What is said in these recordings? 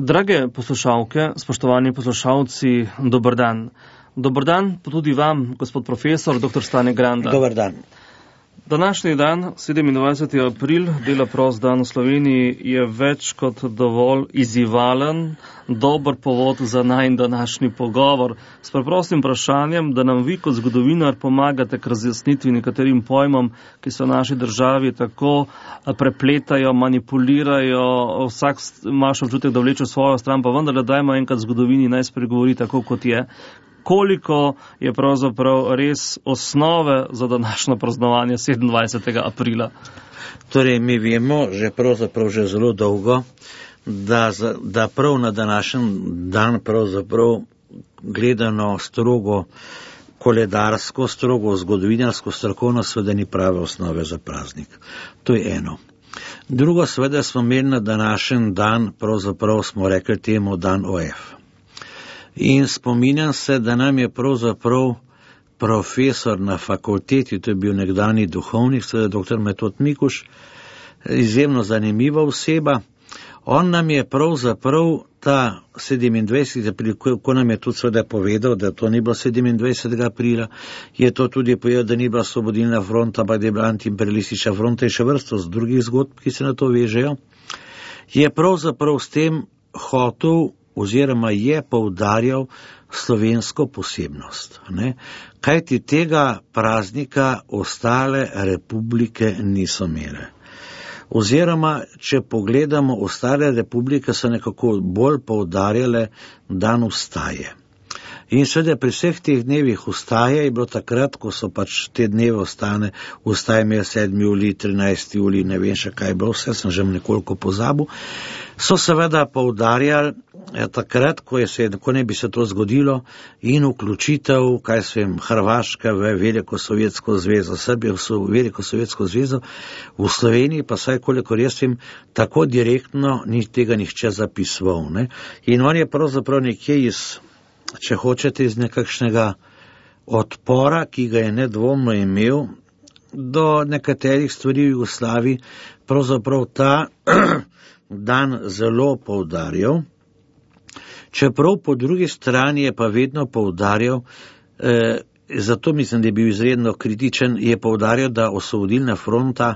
Drage poslušalke, spoštovani poslušalci, dober dan. Dober dan pa tudi vam, gospod profesor, dr. Stane Granda. Dober dan. Današnji dan, 27. april, dela prost dan v Sloveniji, je več kot dovolj izzivalen, dober povod za najin današnji pogovor s preprostim vprašanjem, da nam vi kot zgodovinar pomagate k razjasnitvi nekaterim pojmom, ki se v naši državi tako prepletajo, manipulirajo, vsak ima še občutek, da vleče svojo stran, pa vendarle dajmo enkrat zgodovini naj spregovori tako, kot je. Koliko je pravzaprav res osnove za današnjo praznovanje 27. aprila? Torej, mi vemo že zelo dolgo, da prav na današnji dan pravzaprav gledano strogo koledarsko, strogo zgodovinarsko, strokovno seveda ni prave osnove za praznik. To je eno. Drugo, seveda smo imeli na današnji dan, pravzaprav smo rekli temu dan OF. In spominjam se, da nam je pravzaprav profesor na fakulteti, to je bil nekdani duhovnik, seveda dr. Metod Mikuš, izjemno zanimiva oseba. On nam je pravzaprav ta 27. april, ko nam je tudi seveda povedal, da to ni bilo 27. aprila, je to tudi povedal, da ni bila Osvobodilna fronta, ampak da je bila antiimperialistična fronta in še vrsto z drugih zgodb, ki se na to vežejo, je pravzaprav s tem hotel oziroma je poudarjal slovensko posebnost. Kajti tega praznika ostale republike niso imele. Oziroma, če pogledamo, ostale republike so nekako bolj poudarjale dan vstaje. In seveda pri vseh teh dnevih vstaje je bilo takrat, ko so pač te dneve vstaje imeli 7. julij, 13. julij, ne vem še kaj je bilo, vse sem že nekoliko pozabil, so seveda poudarjali takrat, ko ne bi se to zgodilo, in vključitev, Hrvaške v Veliko sovjetsko zvezo, Srbije v Veliko sovjetsko zvezo, v Sloveniji pa saj kolikor jaz vem, tako direktno ni tega nihče zapisoval. In on je pravzaprav nekje če hočete, iz nekakšnega odpora, ki ga je nedvomno imel do nekaterih stvari v Jugoslaviji, pravzaprav ta dan zelo poudarjal. Čeprav po drugi strani je pa vedno poudarjal, zato mislim, da je bil izredno kritičen, je poudarjal, da Osvobodilna fronta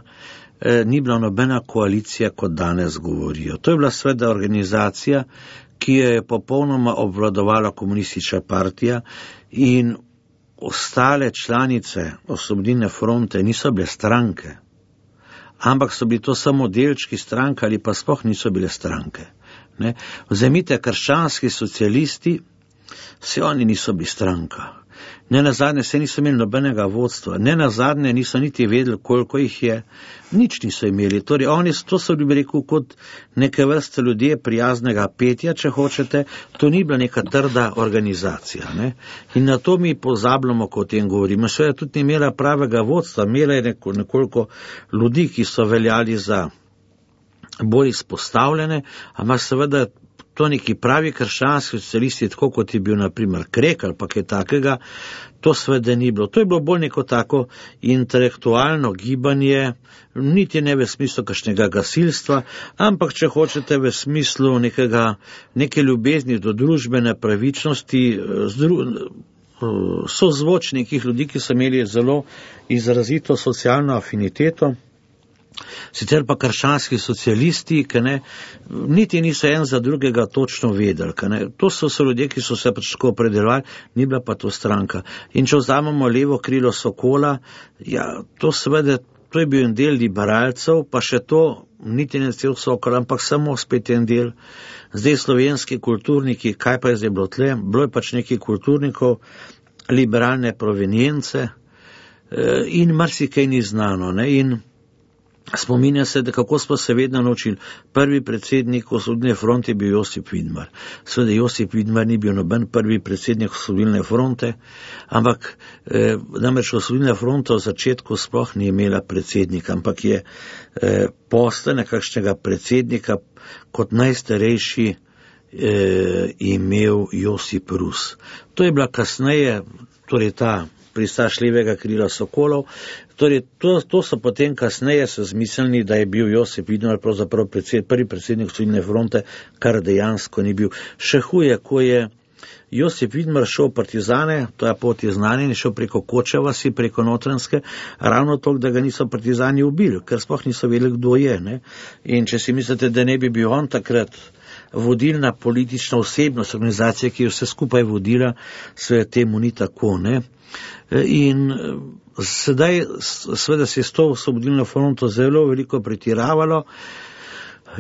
ni bila nobena koalicija, kot danes govorijo. To je bila seveda organizacija, ki je popolnoma obvladovala komunistična partija, in ostale članice Osvobodilne fronte niso bile stranke, ampak so bili to samo delčki stranke ali pa sploh niso bile stranke. Vzemite krščanski socialisti, se oni niso bili stranka. Ne nazadnje se niso imeli nobenega vodstva, ne nazadnje niso niti vedeli, koliko jih je, nič niso imeli. Torej, to so bi rekel kot neke vrste ljudje prijaznega petja, če hočete, to ni bila neka trda organizacija. In na to mi pozabljamo, ko o tem govorimo. Seveda tudi ni imela pravega vodstva, imela je nekoliko ljudi, ki so veljali za bolj izpostavljene, ampak seveda to neki pravi krščanski socialisti, tako kot je bil naprimer Krek ali pa kaj takega, to seveda ni bilo. To je bilo bolj neko tako intelektualno gibanje, niti ne v smislu kakšnega gasilstva, ampak če hočete v smislu neke ljubezni do družbene pravičnosti, sozvočnikih ljudi, ki so imeli zelo izrazito socialno afiniteto. Sicer pa krščanski socialisti, niti niso en za drugega točno vedeli. To so ljudje, ki so se pač tako opredeljevali, ni bila pa to stranka. In če vzamemo levo krilo Sokola, to seveda, to je bil en del liberalcev, pa še to, niti ne cel Sokol, ampak samo spet en del. Zdaj slovenski kulturniki, kaj pa je zdaj bilo tle? Bilo je pač nekaj kulturnikov, liberalne provenience in marsikaj ni znano. In spominja se, da kako smo se vedno naučili. Prvi predsednik Osvobodilne fronte je bil Josip Vidmar. Seveda Josip Vidmar ni bil noben prvi predsednik Osvobodilne fronte, ampak namreč Osvobodilna fronta v začetku sploh ni imela predsednika, ampak je posle nekakšnega predsednika kot najstarejši imel Josip Rus. To je bila kasneje, torej ta pristaš levega krila Sokolov. Torej, to so potem kasneje se zmislili, da je bil Josip Vidmar pravzaprav prvi predsednik Osvobodilne fronte, kar dejansko ni bil. Še huje, ko je Josip Vidmar šel v partizane, to je pot je znanje, in šel preko Koče vasi, preko Notranjske, ravno toliko, da ga niso partizani ubili, ker sploh niso vedeli, kdo je. Ne? In če si mislite, da ne bi bil on takrat vodilna politična osebnost organizacije, ki je vse skupaj vodila, se temu ni tako. Ne? In sedaj seveda se je s to Osvobodilno fronto zelo veliko pretiravalo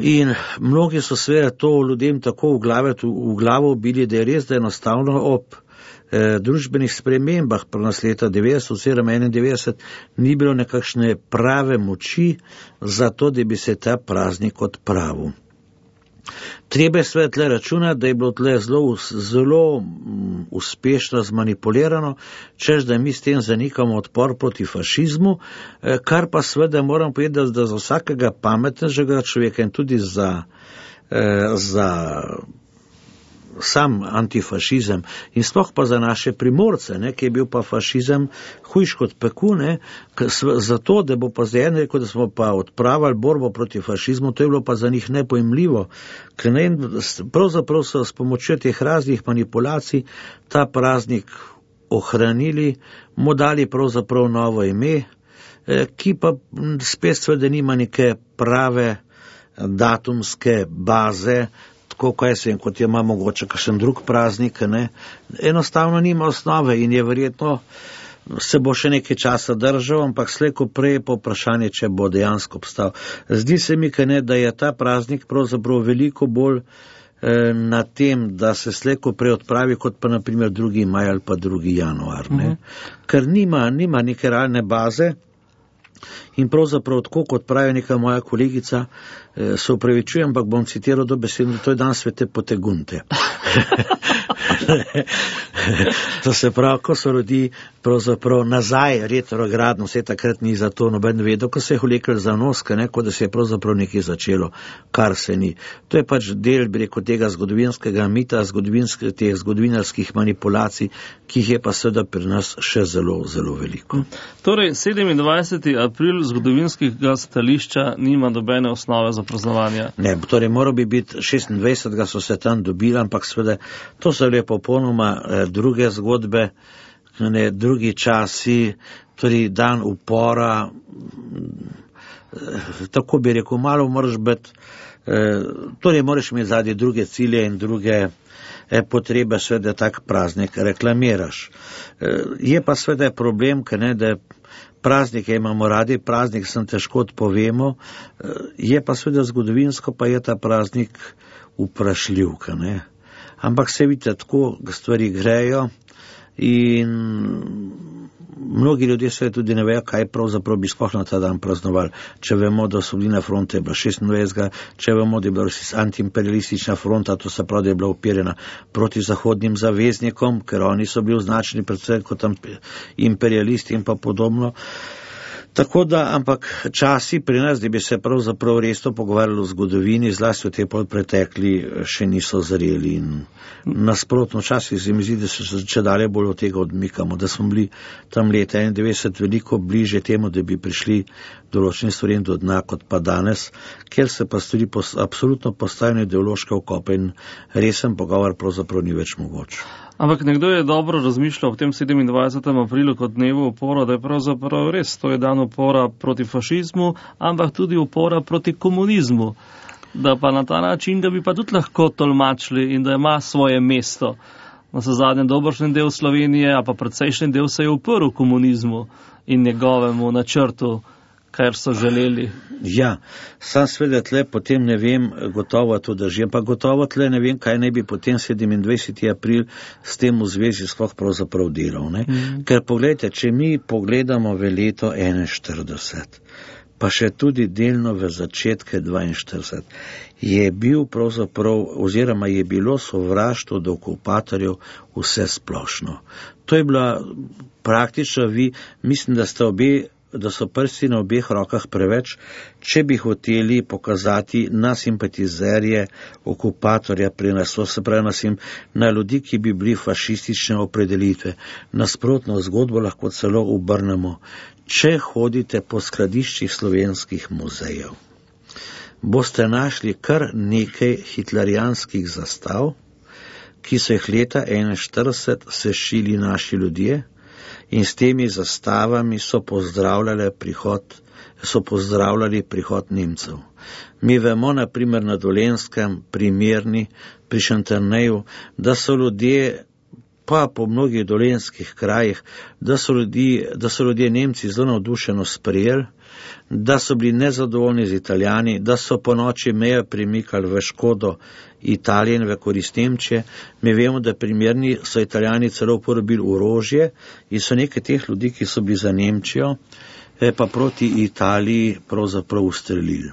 in mnogi so seveda to ljudem tako v glavo bili, da je res, da enostavno ob družbenih spremembah prenos leta 90 oziroma 91 ni bilo nekakšne prave moči za to, da bi se ta praznik odpravil. Treba je seveda tle računati, da je bilo tle zelo uspešno zmanipulirano, češ da mi s tem zanikamo odpor proti fašizmu, kar pa seveda moram povedati, da za vsakega pametnega človeka in tudi za sam antifašizem in sploh pa za naše Primorce, ne, ki je bil pa fašizem hujš kot peku, ne, zato, da bo pa zdaj en rekel, da smo pa odpravili borbo proti fašizmu, to je bilo pa za njih nepojemljivo, ker ne, pravzaprav so s pomočjo teh raznih manipulacij ta praznik ohranili, mu dali pravzaprav novo ime, ki pa spet seveda nima neke prave datumske baze, tako kot ima mogoče kakšen drug praznik, ne. Enostavno nima osnove in je verjetno se bo še nekaj časa držal, ampak slej ko prej po vprašanje, če bo dejansko obstal. Zdi se mi, ne, da je ta praznik pravzaprav veliko bolj na tem, da se slej ko prej odpravi, kot pa naprimer 2. maj ali pa 2. januar. Ne. Ker nima neke realne baze. In pravzaprav tako, kot pravi neka moja kolegica, se upravičujem, ampak bom citiral dobesedno, to je dan svete Potegunte. To se pravi, ko se rodi pravzaprav nazaj retrogradno, vse takrat ni za to noben vedel, ko se je vlekel za nos, kot da se je pravzaprav nekaj začelo, kar se ni. To je pač del, bi rekel, tega zgodovinskega mita, teh zgodovinarskih manipulacij, ki jih je pa seveda pri nas še zelo, zelo veliko. Torej, 27. april zgodovinskega stališča nima nobene osnove za praznovanje. Ne, torej moral bi biti 26. so se tam dobili, ampak seveda to so le popolnoma druge zgodbe, ne, drugi časi, torej dan upora, tako bi rekel, malo moraš biti, torej moraš imeti zadnje druge cilje in druge potrebe, seveda tak praznik reklamiraš. Je pa seveda problem, ne, da praznike imamo radi, praznik sem težko odpovemo, je pa seveda zgodovinsko, pa je ta praznik vprašljiv, ne. Ampak se vidite, tako stvari grejo in mnogi ljudje se tudi ne vejo, kaj pravzaprav bi sploh na ta dan praznovali. Če vemo, da Osvobodilna fronta je bila 26. Če vemo, da je bila antiimperialistična fronta, to se pravi, da je bila upirjena proti zahodnim zaveznikom, ker oni so bili označeni predvsem kot imperialisti in pa podobno. Tako da, ampak časi pri nas, da bi se pravzaprav resno pogovarjali o zgodovini, zlasti v tej pretekli, še niso zreli in nasprotno časi se mi zdi, da se če dalje bolj od tega odmikamo, da smo bili tam leta 91 veliko bliže temu, da bi prišli določeni stvari do dna kot pa danes, ker se pa stvari absolutno postavljeno ideološke okope in resen pogovor pravzaprav ni več mogoč. Ampak nekdo je dobro razmišljal v tem 27. aprilu kot dnevu upora, da je pravzaprav res, to je dan upora proti fašizmu, ampak tudi upora proti komunizmu. Da pa na ta način ga bi pa tudi lahko tolmačili in da ima svoje mesto. Na zadnje dobršen del Slovenije, a pa precejšnji del se je uprl komunizmu in njegovemu načrtu, kar so želeli. Ja, sam sveda tle potem ne vem, gotovo to drži, pa gotovo tle ne vem, kaj ne bi potem 27. april s tem v zvezi sploh pravzaprav delal. Ker pogledajte, če mi pogledamo v leto 41, pa še tudi delno v začetke 42, je bil pravzaprav, oziroma je bilo sovraštvo do okupatorjev vse splošno. To je bila praktično mislim, da sta obe da so prsti na obeh rokah preveč, če bi hoteli pokazati na simpatizerje okupatorja pri nas, to se pravi na ljudi, ki bi bili fašistične opredelitve. Nasprotno zgodbo lahko celo obrnemo. Če hodite po skladiščih slovenskih muzejev, boste našli kar nekaj hitlerijanskih zastav, ki so jih leta 1941 sešili naši ljudje in s temi zastavami so pozdravljali prihod Nemcev. Mi vemo, na primer na Dolenjskem, pri Mirni, pri Šentjerneju, da so ljudje, pa po mnogih dolenjskih krajih, da so ljudje Nemci zelo navdušeno sprejeli, da so bili nezadovoljni z Italijani, da so po noči mejo premikali v škodo Italije in v korist Nemčije. Mi vemo, da primerni so Italijani celo uporabili orožje in so nekaj teh ljudi, ki so bili za Nemčijo, pa proti Italiji pravzaprav ustrelili.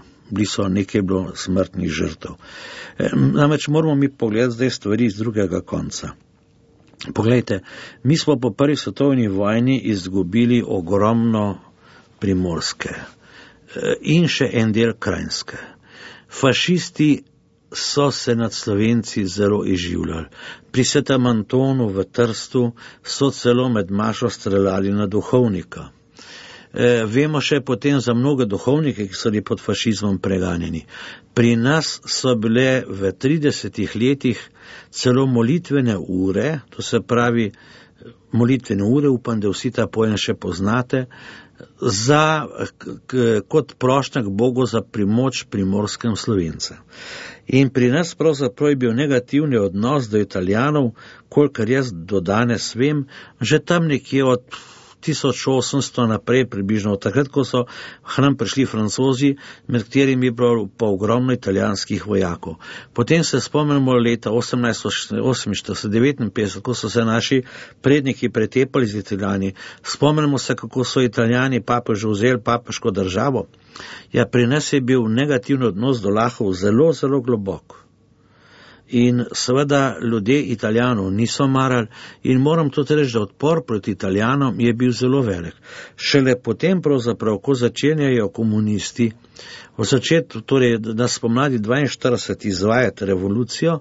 Nekaj bilo smrtnih žrtev. Namreč moramo mi pogledati zdaj stvari iz drugega konca. Poglejte, mi smo po prvi svetovni vojni izgubili ogromno Primorske in še en del Krajinske. Fašisti so se nad Slovenci zelo izživljali. Pri Svetem Antonu v Trstu so celo med mašo streljali na duhovnika. Vemo še potem za mnoge duhovnike, ki so bili pod fašizmom preganjeni. Pri nas so bile v 30 letih celo molitvene ure, to se pravi molitvene ure, upam, da vsi ta pojem še poznate, kot prošnja k Bogu za primoč primorskem Slovencem. In pri nas pravzaprav je bil negativni odnos do Italijanov, kolikor jaz do danes vem, že tam nekje od 1800 naprej približno, takrat, ko so k nam prišli Francozi, med katerimi je bilo pa ogromno italijanskih vojakov. Potem se spomnimo leta 1848-59, ko so se naši predniki pretepali z Italijani. Spomnimo se, kako so Italijani papežu vzeli papeško državo. Ja, pri nas je bil negativni odnos do Lahov zelo, zelo globok. In seveda ljudje Italijanov niso marali in moram tudi reči, da odpor proti Italijanom je bil zelo velik. Šele potem pravzaprav, ko začenjajo komunisti v začetku, torej na spomladi 42 izvajati revolucijo,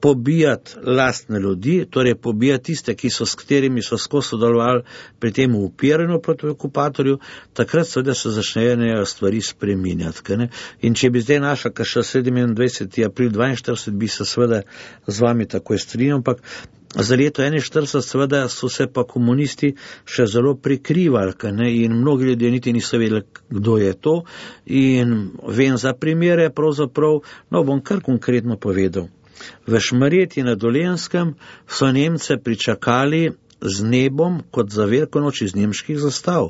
pobijati lastne ljudi, torej pobijati tiste, s katerimi so skozi sodelovali pri tem upiranju proti okupatorju, takrat seveda se začnejo stvari spreminjati. In če bi zdaj našla še 27. april 42, bi se seveda z vami takoj strinjal, ampak za leto 41 seveda so se pa komunisti še zelo prikrivali, in mnogi ljudje niti niso vedeli, kdo je to, in vem za primere pravzaprav, bom kar konkretno povedal. V Šmarjeti na Dolenjskem so Nemce pričakali z nebom kot za veliko noč iz nemških zastav.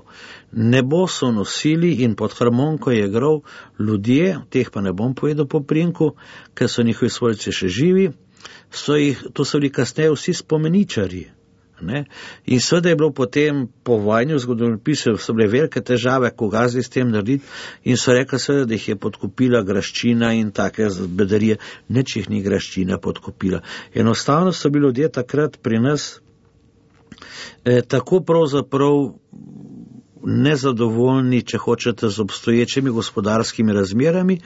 Nebo so nosili in pod harmoniko je igral ljudje, teh pa ne bom povedal po prinku, ker so njihovi svojci še živi, to so bili kasneje vsi spomeničarji. In seveda je bilo potem po vojni v zgodovinopisu, so bile velike težave, koga zdaj s tem narediti, in so rekli seveda, da jih je podkupila graščina in take bedarije. Nič jih ni graščina podkupila. Enostavno so bili ljudje takrat pri nas tako pravzaprav nezadovoljni, če hočete, z obstoječimi gospodarskimi razmerami,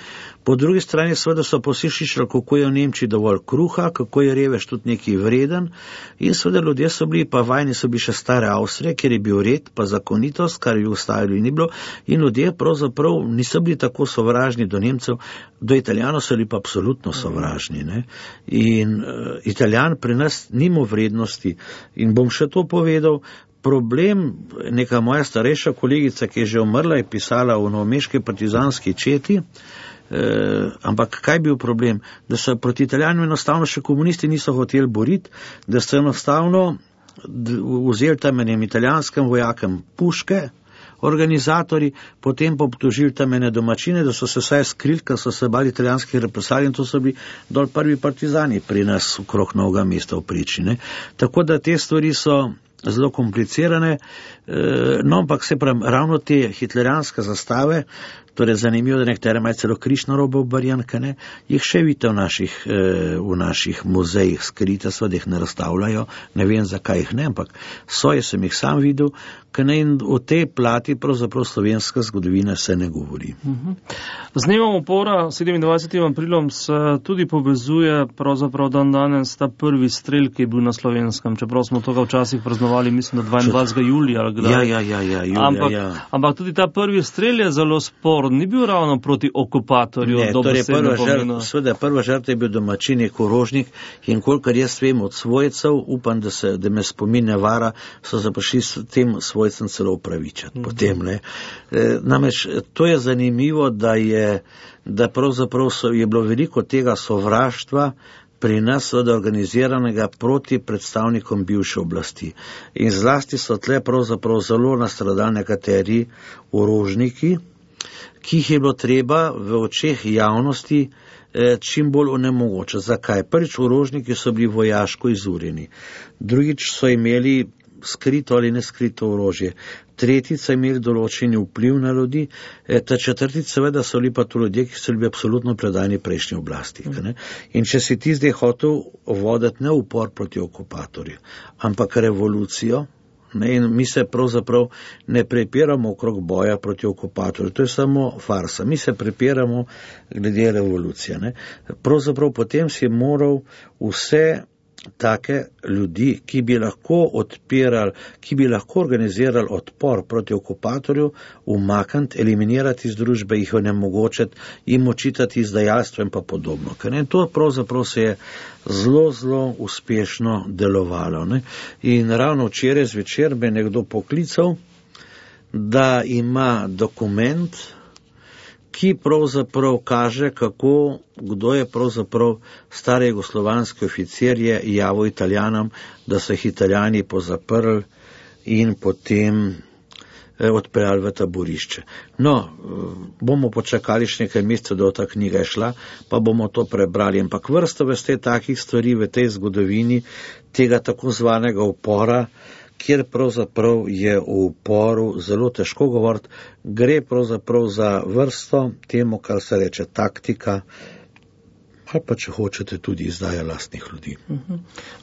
po drugi strani seveda so poslišali, kako je v Nemčiji dovolj kruha, kako je revež tudi nekaj vreden, in seveda ljudje so bili, pa vajni so bili še stare Avstrije, kjer je bil red, pa zakonitost, kar je v Jugoslaviji ni bilo, in ljudje pravzaprav niso bili tako sovražni do Nemcev, do Italijanov so bili pa absolutno sovražni. In Italijan pri nas nima vrednosti. In bom še to povedal, problem, neka moja starejša kolegica, ki je že umrla, je pisala v novomeški partizanski četi, ampak kaj je bil problem? Da so proti Italijanom enostavno še komunisti niso hoteli boriti, da so enostavno vzeli tam enim italijanskim vojakem puške, organizatori, potem pa obtožili tam ene domačine, da so se vsaj skrili, ker so se bali italijanskih represalij, in to so bili dol prvi partizani pri nas okrog Novega mesta v Priči. Tako da te stvari so zelo komplicirane, ampak se pravi, ravno te hitlerijanske zastave, Torej, zanimivo, da nektere imajo celo križ na robu obarjan, jih še vidite v naših muzejih skrite, da jih ne razstavljajo, ne vem, zakaj jih ne, ampak sem jih sam videl, in o tej plati pravzaprav slovenska zgodovina se ne govori. Z dnevom upora, 27. aprilom, se tudi povezuje pravzaprav dan danes ta prvi strel, ki je bil na Slovenskem, čeprav smo toga včasih praznovali, mislim, da 22. julija. Julija. Ampak tudi ta prvi strel je zelo sporen, ni bil ravno proti okupatorju. Ne, torej prva žrtev je bil domačinik Orožnik in kolikor jaz vem od svojcev, upam, da me spomin ne vara, so se prišli s tem svojcem celo upravičati. Potem, namreč, to je zanimivo, da pravzaprav je bilo veliko tega sovraštva pri nas organiziranega proti predstavnikom bivše oblasti. In zlasti so tle pravzaprav zelo nastradali nekateri orožniki, ki jih je bilo treba v očeh javnosti čim bolj onemogočiti. Zakaj? Prvič, orožniki so bili vojaško izurjeni. Drugič, so imeli skrito ali neskrito orožje. Tretjič, so imeli določeni vpliv na ljudi. Ta četrtič, seveda, so bili pa to ljudje, ki so bili absolutno predani prejšnji oblasti. In če si ti zdaj hotel voditi ne upor proti okupatorju, ampak revolucijo, in mi se pravzaprav ne prepiramo okrog boja proti okupatorju, to je samo farsa. Mi se prepiramo glede revolucije. Pravzaprav potem si moral vse take ljudi, ki bi lahko odpirali, ki bi lahko organizirali odpor proti okupatorju, umakniti, eliminirati iz družbe, jih onemogočiti, jim očitati izdajalstvo in pa podobno. In to pravzaprav se je zelo, zelo uspešno delovalo. In ravno včeraj zvečer me nekdo poklical, da ima dokument, ki pravzaprav kaže, kdo je pravzaprav stari jugoslovanski oficir je javil Italijanom, da so jih Italijani pozaprli in potem odpeljali v taborišče. Bomo počakali še nekaj mesecev, da ta knjiga je šla, pa bomo to prebrali. Ampak vrsto veste takih stvari v tej zgodovini, tega tako zvanega upora, kjer pravzaprav je v uporu zelo težko govoriti, gre pravzaprav za vrsto temu, kar se reče taktika, ali pa če hočete tudi izdaja lastnih ljudi.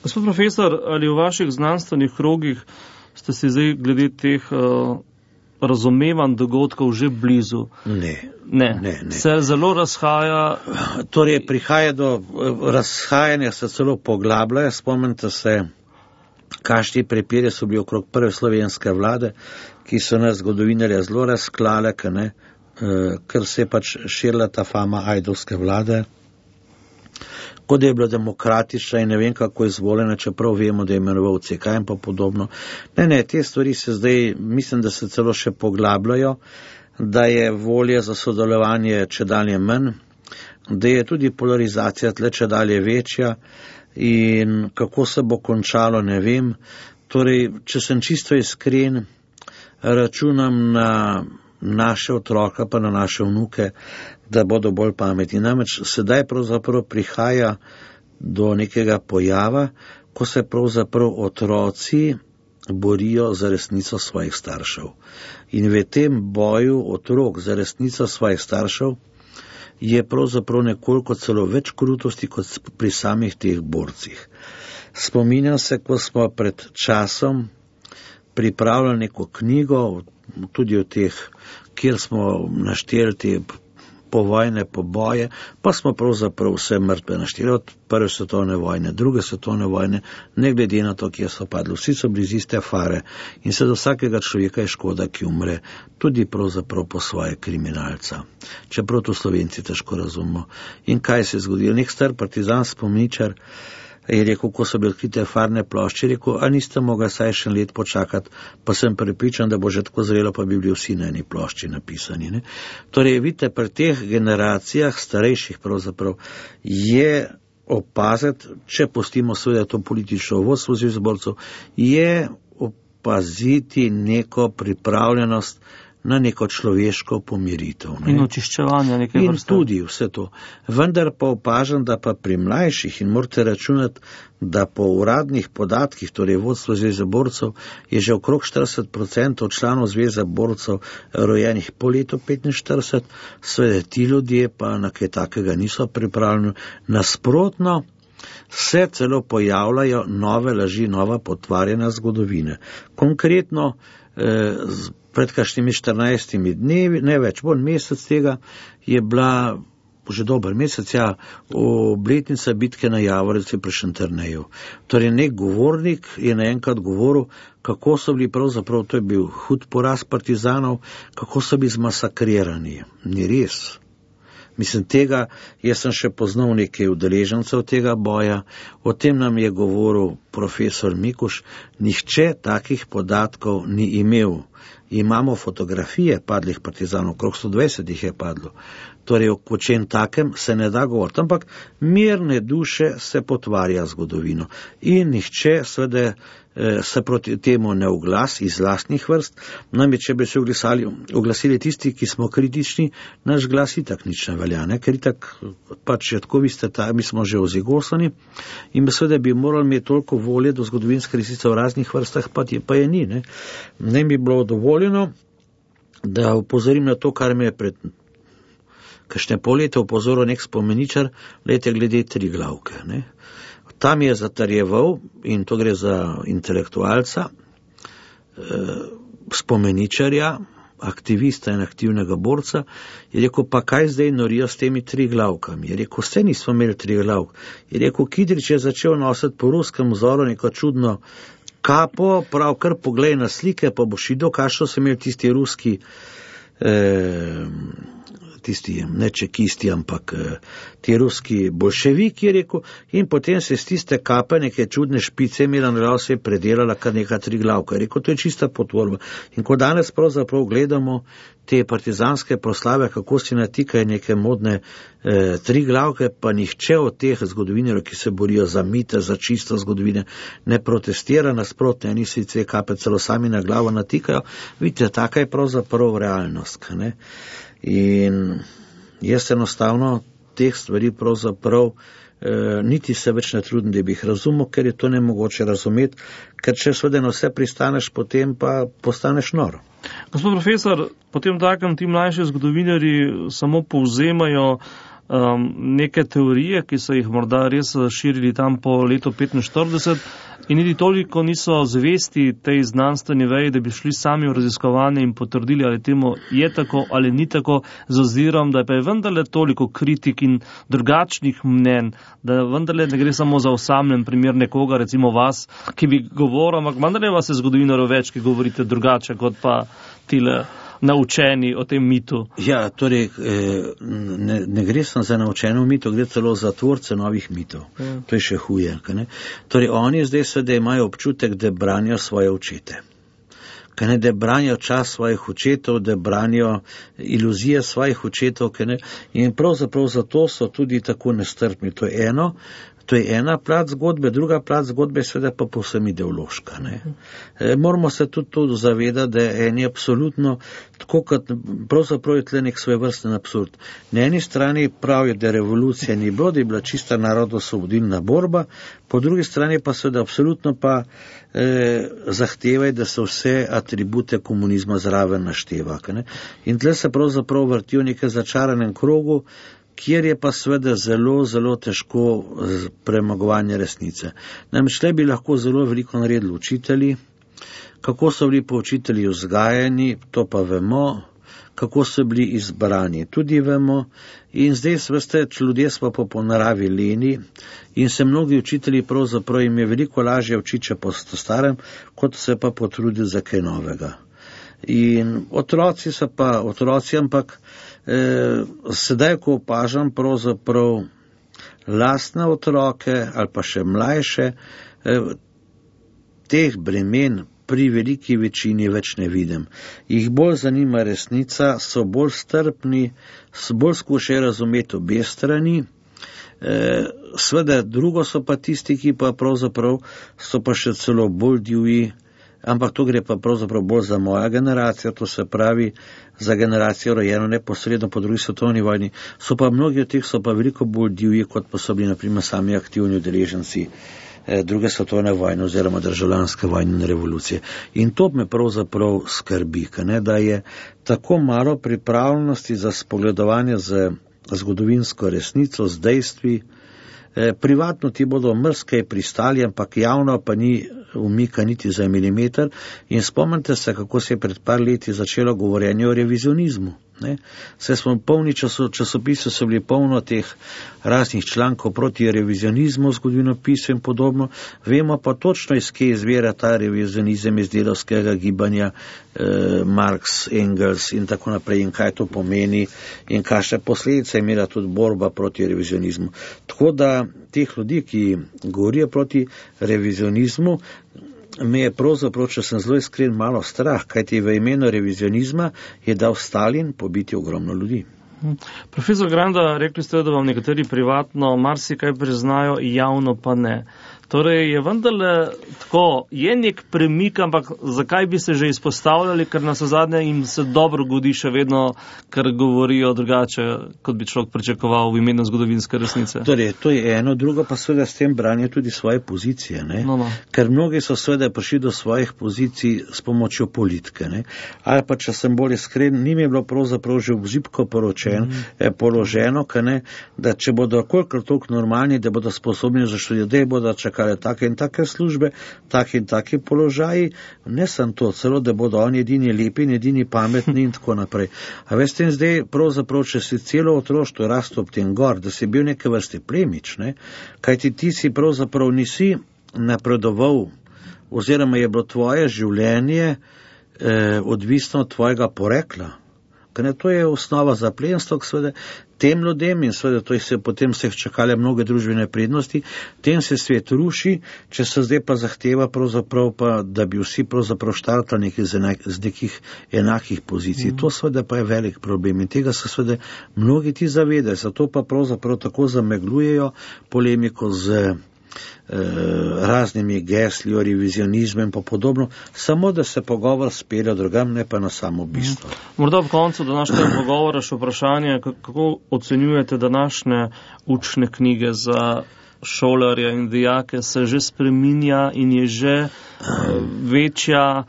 Gospod profesor, ali v vaših znanstvenih krogih ste si zdaj glede teh razumevanj dogodkov že blizu? Ne. Se zelo razhaja? Torej, prihaja do razhajanja, se celo poglabljajo. Spomnite se, kakšni prepiri so bili okrog prve slovenske vlade, ki so nas zgodovinarja zelo razklale, ker se je pač širila ta fama ajdovske vlade, kot je bila demokratična in ne vem kako izvoljena, čeprav vemo, da je imenoval CK in pa podobno. Ne, te stvari se zdaj, mislim, da se celo še poglabljajo, da je volje za sodelovanje čedalje manj, da je tudi polarizacija tle čedalje večja, in kako se bo končalo, ne vem. Torej, če sem čisto iskren, računam na naše otroka pa na naše vnuke, da bodo bolj pametni. Namreč sedaj pravzaprav prihaja do nekega pojava, ko se pravzaprav otroci borijo za resnico svojih staršev. In v tem boju otrok za resnico svojih staršev je pravzaprav nekoliko celo več krutosti kot pri samih teh borcih. Spominjam se, ko smo pred časom pripravljali neko knjigo, tudi o teh, kjer smo našteli te povojne poboje, pa smo pravzaprav vse mrtve našteli, od prve svetovne vojne, druge svetovne vojne, ne glede na to, kje so padli. Vsi so bili iz iste fare in se do vsakega človeka je škoda, ki umre, tudi pravzaprav po svoje kriminalca. Čeprav to Slovenci težko razumemo. In kaj se je zgodilo? Nek star partizan spomničar je rekel, ko so bili odkrite farne plošče, je rekel, a niste mogli saj še let počakati, pa sem prepričan, da bo že tako zrelo, pa bi bili vsi na eni plošči napisani. Torej, vidite, pri teh generacijah starejših pravzaprav je opaziti, če pustimo seveda to politično vodstvo zborcev, je opaziti neko pripravljenost na neko človeško pomiritev. Ne. In očiščevanje neke vrste. In tudi vse to. Vendar pa opažam, da pa pri mlajših, in morate računati, da po uradnih podatkih, torej vodstvo Zveze borcev, je že okrog 40% članov Zveze borcev rojenih po letu 45, seveda ti ljudje pa na kaj takega niso pripravljeni. Nasprotno, se celo pojavljajo nove laži, nova potvarjena zgodovine. Konkretno, pred kakšnimi 14 dnevi, ne več, bolj mesec tega, je bila že dober mesec, obletnica bitke na Javornici pri Šentjerneju. Torej, nek govornik je naenkrat govoril, kako so bili pravzaprav, to je bil hud poraz partizanov, kako so bili zmasakrirani. Ni res. Mislim, tega, jaz sem še poznal nekaj udeležencev tega boja, o tem nam je govoril profesor Mikuš, nihče takih podatkov ni imel. Imamo fotografije padlih partizanov, okrog 120 jih je padlo. Torej, o čem takem se ne da govoriti, ampak mirne duše se potvarja zgodovino. In nihče seveda se proti temu ne oglasi iz lastnih vrst, namreč če bi se oglasili tisti, ki smo kritični, naš glas itak nič ne velja, ne? Ker itak pač tako vi ste mi smo že ozigosani in seveda bi morali imeti toliko volje do zgodovinske resnice v raznih vrstah, pa je ni. Ne bi bilo dovoljeno, da upozorim na to, kar me je pred kakšne pol leta upozoril nek spomeničar, glede Triglavke. Ne? Tam je zatarjeval, in to gre za intelektualca, spomeničarja, aktivista in aktivnega borca, je rekel, pa kaj zdaj norijo s temi Triglavkami? Je rekel, vse nismo imeli Triglavk. Je rekel, Kidrič je začel nositi po ruskem vzoru neko čudno kapo, prav kar poglej na slike, pa boš videl, kakšno so imeli tisti ruski ne čekisti, ampak ti ruski bolševiki, je rekel, in potem se z tiste kape neke čudne špice imela na se je predelala kar neka Triglavka. Je rekel, to je čista potvorba. In ko danes pravzaprav gledamo te partizanske proslave, kako si natikajo neke modne Triglavke, pa nihče od teh zgodovinarjev, ki se borijo za mite, za čisto zgodovine, ne protestira, nasprotno, eni si te kape celo sami na glavo natikajo. Vidite, taka je pravzaprav realnost, ne? In jaz enostavno teh stvari pravzaprav niti se več ne trudim, da bi jih razumel, ker je to nemogoče razumeti, ker če seveda na vse pristaneš, potem pa postaneš nor. Gospod profesor, potem takem ti mlajši zgodovinarji samo povzemajo neke teorije, ki so jih morda res širili tam po letu 45 in niti toliko niso zvesti tej znanstveni veji, da bi šli sami v raziskovanje in potrdili, ali temu je tako ali ni tako, z ozirom, da pa je vendarle toliko kritik in drugačnih mnen, da vendarle ne gre samo za osamljen primer nekoga, recimo vas, ki bi govoril, ampak vendarle vas je zgodovinarjev več, ki govorite drugače, kot pa tile naučeni o tem mitu. Ja, torej, ne gre samo za naučeno mito, gre celo za tvorce novih mitov. Ja. To je še huje. Ne? Torej, oni zdaj seveda imajo občutek, da branijo svoje očete. Da branijo čas svojih očetov, da branijo iluzije svojih očetov. In pravzaprav zato so tudi tako nestrpni. To je ena plat zgodbe, druga plat zgodbe je seveda pa povsem ideološka. Moramo se tudi to zavedati, da je eni absolutno, tako kot pravzaprav je tle nek svojevrsten absurd. Na eni strani pravijo, da revolucija ni bilo, da je bila čista narodno-osvobodilna borba, po drugi strani pa seveda absolutno pa zahtevajo, da se vse atribute komunizma zraven našteva. In tle se pravzaprav vrtijo v nekem začaranem krogu, kjer je pa seveda zelo, zelo težko premagovanje resnice. Namreč tle bi lahko zelo veliko naredili učitelji, kako so bili pa učitelji vzgajani, to pa vemo, kako so bili izbrani, tudi vemo, in zdaj veste, ljudje smo pa po naravi leni in se mnogi učitelji pravzaprav jim je veliko lažje učiti, če po starem, kot se pa potruditi za kaj novega. In otroci so pa otroci, ampak sedaj, ko opažam pravzaprav lastne otroke ali pa še mlajše, teh bremen pri veliki večini več ne vidim. Jih bolj zanima resnica, so bolj strpni, bolj skušajo razumeti obe strani. Sveda drugo so pa tisti, ki pa pravzaprav so pa še celo bolj divji, ampak tu gre pa pravzaprav bolj za moja generacija, to se pravi za generacijo rojeno neposredno po drugi svetovni vojni. So pa mnogi od teh so pa veliko bolj divji, kot pa so bili naprimer sami aktivni udeleženci druge svetovne vojne oziroma državljanske vojne in revolucije. In to me pravzaprav skrbi, da je tako malo pripravljenosti za spogledovanje z zgodovinsko resnico, z dejstvi. Privatno ti bodo mrskej pristali, ampak javno pa ni umika niti za milimeter. In spomnite se, kako se je pred par leti začelo govorjenje o revizionizmu. Vse smo polni časopisov, so bili polno teh raznih člankov proti revizionizmu, zgodovinopisu in podobno. Vemo pa točno, iz kje izvira ta revizionizem iz delavskega gibanja, Marx, Engels in tako naprej, in kaj to pomeni in kakšne posledice je imela tudi borba proti revizionizmu. Tako da teh ljudi, ki govorijo proti revizionizmu, me je pravzaprav, če sem zelo iskren, malo strah, kajti v imenu revizionizma je dal Stalin pobiti ogromno ljudi. Profesor Granda, rekli ste, da vam nekateri privatno marsikaj priznajo, javno pa ne. Torej je vendarle tako, je nek premik, ampak zakaj bi se že izpostavljali, ker nas zadnje jim se dobro godi še vedno, ker govorijo drugače, kot bi človek pričakoval v imenu zgodovinske resnice. Torej, to je eno, drugo pa seveda s tem branijo tudi svoje pozicije, ne? No. Ker mnogi so seveda prišli do svojih pozicij s pomočjo politike, ne? Ali pa, če sem bolj iskren, njim je bilo pravzaprav že v zibko položeno, da če bodo kolikor toliko normalni, da bodo sposobni za študij, bodo čakali take in take službe, take in take položaji, ne sem to, celo da bodo oni edini lepi in edini pametni in tako naprej. A veste, in zdaj pravzaprav, če si celo otroštvo rastel ob tem gor, da si bil neke vrste plemič, kajti ti si pravzaprav nisi napredoval, oziroma je bilo tvoje življenje odvisno od tvojega porekla. To je osnova za plemstvo, seveda, tem ljudem in seveda to je potem se čakale mnoge družbene prednosti, tem se svet ruši, če se zdaj pa zahteva pravzaprav pa, da bi vsi pravzaprav štartali z nekih enakih pozicij. To seveda pa je velik problem in tega se seveda mnogi ti zavedajo, zato pa pravzaprav tako zameglujejo polemiko z raznimi gesli o revizionizmu in podobno, samo da se pogovor spelje drugam, ne pa na samo bistvo. Morda ob koncu današnjega pogovora še vprašanje, kako ocenjujete današnje učne knjige za šolarje in dijake, se že spreminja in je že večja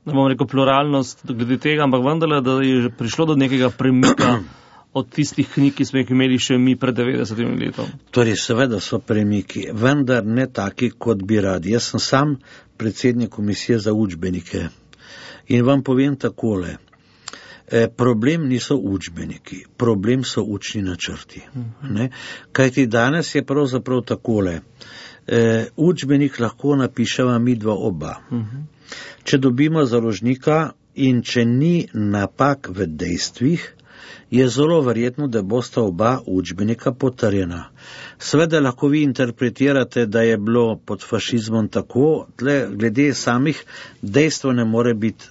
ne bom rekel pluralnost glede tega, ampak vendarle, da je že prišlo do nekega premika od tistih knjig, ki smo jih imeli še mi pred 90 letom. Torej, seveda so premiki, vendar ne taki, kot bi radi. Jaz sem sam predsednik komisije za učbenike in vam povem takole. Problem niso učbeniki, problem so učni načrti. Kajti danes je pravzaprav takole. Učbenik lahko napiševa midva oba. Če dobimo založnika in če ni napak v dejstvih, je zelo verjetno, da bosta oba učbenika potrjena. Seveda lahko vi interpretirate, da je bilo pod fašizmom tako, glede samih dejstev ne more biti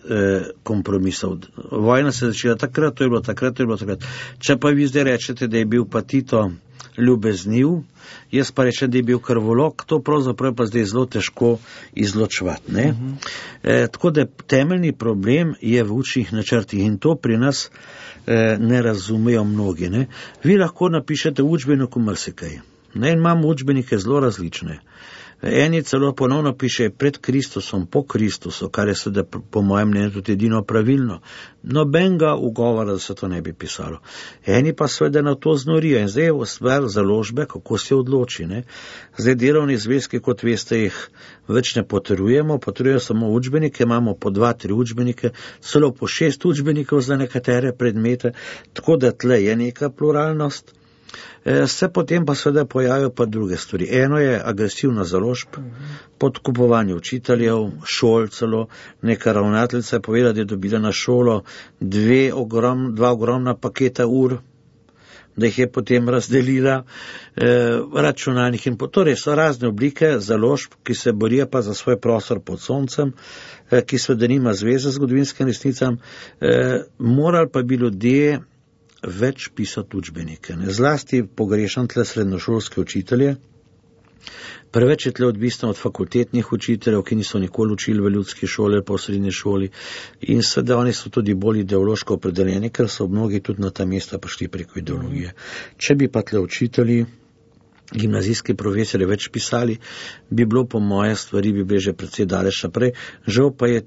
kompromisov. Vojna se je začela takrat, to je bilo takrat. Če pa vi zdaj rečete, da je bil pa Tito ljubezniv, jaz pa rečem, da je bil krvolok, to pravzaprav pa zdaj zelo težko izločevati. Tako da temeljni problem je v učnih načrtih in to pri nas ne razumejo mnogi. Vi lahko napišete v učbeniku marsikaj. Imamo učbenike zelo različne. Eni celo ponovno piše pred Kristusom, po Kristusu, kar je seveda po mojem mnenju tudi edino pravilno. Nobenega ugovora, da se to ne bi pisalo. Eni pa seveda na to znorijo in zdaj je stvar založbe, kako se odloči. Zdaj delovni zvezki, kot veste, jih več ne potrjujemo samo učbenike, imamo po 2-3 učbenike, celo po 6 učbenikov za nekatere predmete, tako da tle je neka pluralnost. Se potem pa seveda pojavijo pa druge stvari. Eno je agresivna založb, podkupovanje učiteljev, šol celo. Neka ravnateljica je povedala, da je dobila na šolo 2 ogromna paketa ur, da jih je potem razdelila, računalnik in torej so razne oblike založb, ki se borijo pa za svoj prostor pod soncem, ki seveda nima zveze z zgodovinskim resnicam. Morali pa bi ljudje več pisati učbenike. Zlasti pogrešam tle srednjošolske učitelje, Preveč je tle odvisno od fakultetnih učiteljev, ki niso nikoli učili v ljudski šoli ali pa v srednji šoli in seveda oni so tudi bolj ideološko opredeljeni, ker so mnogi tudi na ta mesta prišli preko ideologije. Če bi pa tle učitelji, gimnazijski profesori več pisali, bi bilo po moje stvari bi bile že precej daleč naprej, žal pa je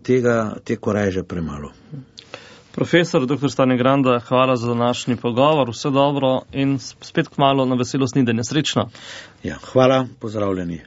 te koraje že premalo. Profesor dr. Stane Granda, hvala za današnji pogovor, vse dobro in spet kmalu na veselo snidenje. Srečno. Ja, hvala, pozdravljeni.